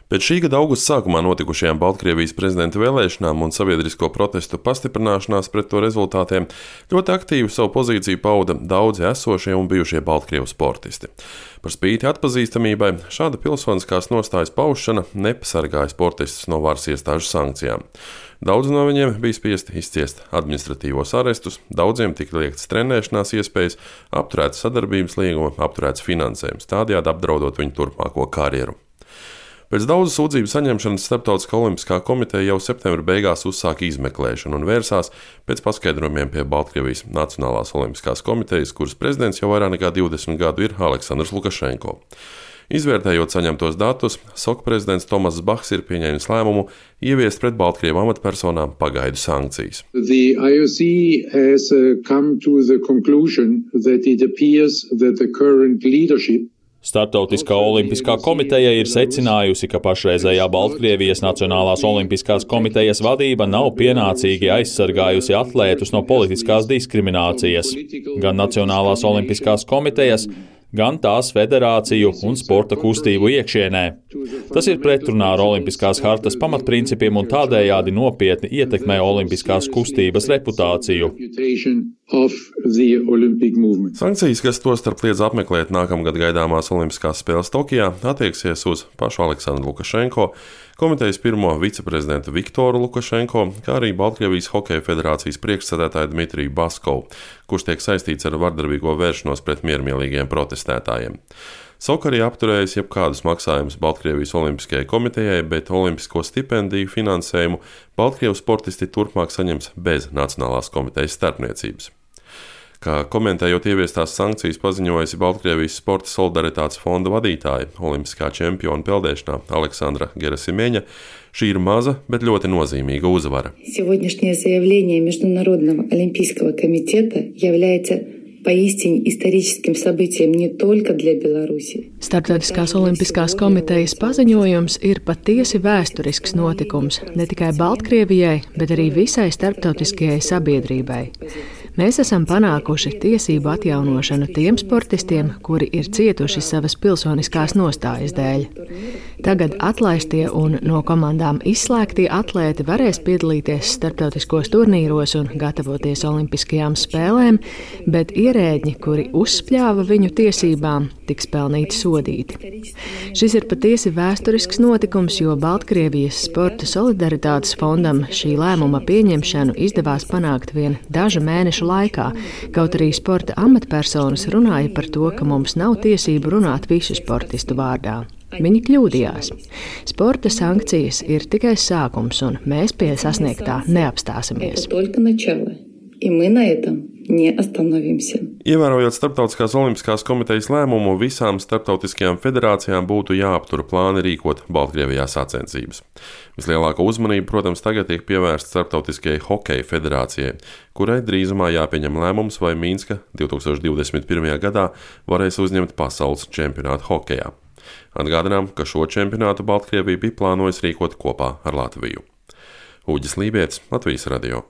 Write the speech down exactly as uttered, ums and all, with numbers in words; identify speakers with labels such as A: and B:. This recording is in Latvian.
A: Pēc šī gada augusta sākumā notikušajām Baltkrievijas prezidenta vēlēšanām un sabiedrisko protestu pastiprināšanās pret to rezultātiem ļoti aktīvi savu pozīciju pauda daudzi esošie un bijušie Baltkrievu sportisti. Par spīti atpazīstamībai šāda pilsoniskās nostājas paušana nepasargāja sportistus no varas iestāžu sankcijām. Daudzi no viņiem bija spiesti izciest administratīvos arestus, daudziem tika liektas trenēšanās iespējas, apturēts sadarbības līguma, apturēts finansējums, tādējādi apdraudot viņu turpmāko karjeru. Pēc daudzu sūdzību saņemšanas Starptautiskā olimpiskā komiteja jau septembra beigās uzsāka izmeklēšanu un vērsās pēc paskaidrojumiem pie Baltkrievijas Nacionālās olimpiskās komitejas, kuras prezidents jau vairāk nekā divdesmit gadu ir Aleksandrs Lukašenko. Izvērtējot saņemtos datus, SOK prezidents Tomass Bachs ir pieņēmis lēmumu ieviest pret Baltkrievu amatpersonām pagaidu sankcijas.
B: The I O C has come to the conclusion that it appears that the current leadership
C: Startautiskā olimpiskā komiteja ir secinājusi, ka pašreizējā Baltkrievijas Nacionālās olimpiskās komitejas vadība nav pienācīgi aizsargājusi atlētus no politiskās diskriminācijas. Gan Nacionālās olimpiskās komitejas, gan tās federāciju un sporta kustību iekšienē. Tas ir pretrunā ar olimpiskās hartas pamatprincipiem un tādējādi nopietni ietekmē olimpiskās kustības reputāciju.
A: Sankcijas, kas tostarp liedz apmeklēt nākamgad gaidāmās Olimpiskās spēles Tokijā, attieksies uz pašu Aleksandru Lukašenko, komitejas pirmo viceprezidentu Viktoru Lukašenko, kā arī Baltkrievijas Hokeja federācijas priekšsēdētāju Dmitriju Baskovu, kurš tiek saistīts ar vardarbīgo vēršanos pret miermīlīgiem protestētājiem. SOK arī apturējis jebkādus maksājumus Baltkrievijas Olimpiskajai komitejai, bet olimpisko stipendiju finansējumu Baltkrievu sportisti turpmāk saņems bez Nacionālās komitejas starpniecības. Kā komentējot ieviestās sankcijas paziņojusi Baltkrievijas sporta solidaritātes fonda vadītāja, olimpiskā čempiona peldēšanā Aleksandra Gerasimēņa, šī ir maza, bet ļoti nozīmīga uzvara.
D: Сегодняшнее заявление Международного олимпийского комитета является поистине историческим событием не только для Беларуси.
E: Starptautiskās olimpiskās komitejas paziņojums ir patiesi vēsturisks notikums ne tikai Baltkrievijai, bet arī visai starptautiskajai sabiedrībai. Mēs esam panākuši tiesību atjaunošanu tiem sportistiem, kuri ir cietuši savas pilsoniskās nostājas dēļ. Tagad atlaistie un no komandām izslēgtie atlēti varēs piedalīties starptautiskos turnīros un gatavoties olimpiskajām spēlēm, bet ierēģi, kuri uzspļāva viņu tiesībām, tiks pelnīti sodīti. Šis ir patiesi vēsturisks notikums, jo Baltkrievijas sporta solidaritātes fondam šī lēmuma pieņemšanu izdevās panākt vien dažu mēnešu laikā, kaut arī sporta amatpersonas runāja par to, ka mums nav tiesību runāt visu sportistu vārdā. Viņi kļūdījās. Sporta sankcijas ir tikai sākums, un mēs pie sasniegtā neapstāsimies.
A: Ievērojot Starptautiskās olimpiskās komitejas lēmumu, visām starptautiskajām federācijām būtu jāaptura plāni rīkot Baltkrievijā sacensības. Vislielākā uzmanība, protams, tagad tiek pievērsta Starptautiskajai Hokeja federācijai, kurai drīzumā jāpieņem lēmums, vai Minska divtūkstoš divdesmit pirmajā gadā varēs uzņemt pasaules čempionātu hokejā. Atgādinām, ka šo čempionātu Baltkrievija bija plānojusi rīkot kopā ar Latviju. Uģis Lībietis, Latvijas radio.